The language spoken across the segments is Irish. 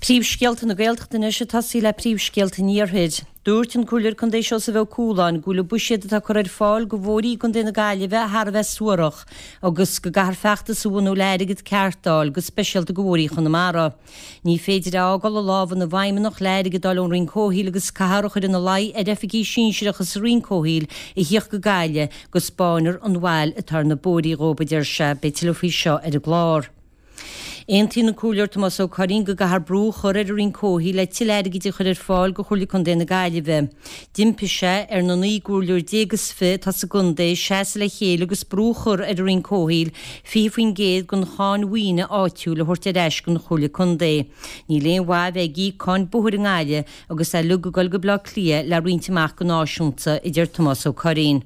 Príomhscéalta na Gaeltachta anois ag tosaí le príomhscéalta an Iarthair. Dúirt an Comhairleoir Contae Seosamh Ó Cualáin go bhfuil an buiséad atá curtha ar fáil go bhóithrí i gContae na Gaillimhe thar a bheith suarach agus go gcaithfear feachtas a bhunú le airgead ceart a fháil, go speisialta go bhóithrí Chonamara. Ní féidir a fhágáil i lámha na bhfeidhmeannach le airgead a fháil ón Roinn Comhshaoil agus caithfear a chur ina luí ar oifigigh sinsearacha sa Roinn Comhshaoil a thíocht go Gaillimh go 'spáinfear an bhail atá ar na bóithrí dhóibh, a deir sé. Beidh tuilleadh faoi seo ar an gclár. Aontaíonn an Comhairleoir Tomás Ó Curraoin go gcaithfear brú a chur ar an Roinn Comhshaoil le tuilleadh airgid a chur ar fáil go Chomhairle Contae na Gaillimhe. D'impigh sé ar na 19 gcomhairleoir is 20 atá sa gcontae seasamh le chéile agus brú a chur ar an Roinn Comhshaoil 20% den cháin mhaoine áitiúil a thabhairt ar ais don Chomhairle Contae. Níl aon mhaith bheith ag íoc cáin bóthair i nGaillimh agus é uilig ag dul go Baile Átha Cliath le roinnt amach go náisiúnta, a deir Tomás Ó Curraoin.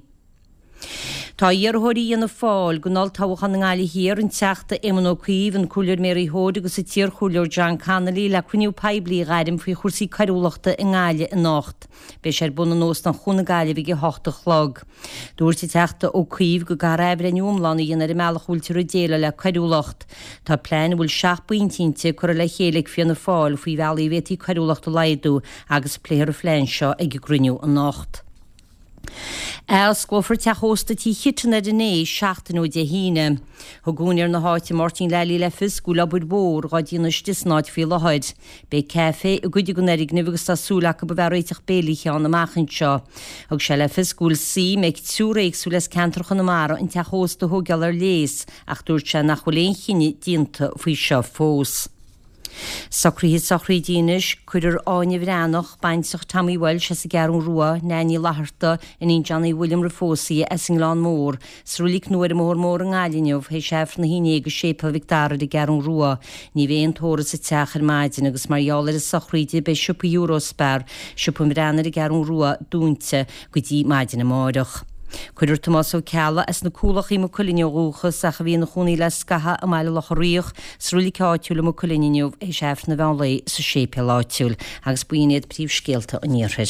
Tá iarrthóirí Fhianna Fáil don olltoghchán i nGaillimh Thiar, an Teachta Éamon Ó Cuív, an Comhairleoir Mary Hoade agus an t-iarchomhairleoir John Connolly le cruinniú poiblí a ghairm faoi chúrsaí coiriúlachta i nGaillimh anocht. Beidh sé ar bun in Óstán Chuan na Gaillimhe ag 8 a chlog. Dúirt an Teachta Ó Cuív go gcaithfear athbhreithniú iomlán a dhéanamh ar an mbealach a bhfuiltear ag déileáil le coiriúlacht. Tá plean a bhfuil 7 bpointe inti curtha le chéile ag Fianna Fáil faoi bhealaí a bhféadfaí coiriúlacht a laghdú agus pléifear an phlean seo ag an gcruinniú anocht. Athosclófar teach ósta Tí Chiteann ar an Né seachtain ó Dé hAoine. Thug úinéir na háite Máirtín Lally le fios go bhfuil obair mhór dhá déanamh istigh san áit faoi láthair. Beidh caife i gcuid den fhoirgneamh agus tá súil acu a bheith ag réiteach béilí ann amach anseo. Thug sé le fios go bhfuil suim ag triúr éagsúil as ceantar Chonamara an teach ósta a thóigeáil ar léas ach dúirt sé nach bhfuil aon chinneadh déanta faoi seo fós. Socruithe sochraide anois, Cuirfear Áine Bhreathnach, baintreach Tommy Walsh as an gCeathrú Rua, Neain Ní Fhlatharta, iníon Johnny William roimh phósadh í, as an nGleann Mór, sa roilig nua ar an mBóthar Mór i nGaillimh inniu, théis Aifreann 11 i Séipéal Mhic Dara ar an gCeathrú Rua. Ní bheidh aon tórramh sa teach ar maidin agus mar gheall ar an sochraíd beidh siopa Eurospar, Siopa an Bhreathnaigh ar an gCeathrú Rua, dúnta go dtí maidin amáireach. Cuirfear Tomás Ó Ceallaigh as na Cualacha i Maigh Cuilinn ó dhúchas ach a bhí ina chónaí le scaitheamh i mBaile Locha Riach sa roilig áitiúil i Maigh Cuilinn inniu théis Aifreann an mheán lae sa séipéal áitiúil agus b'in iad príomhscéalta an Iarthair.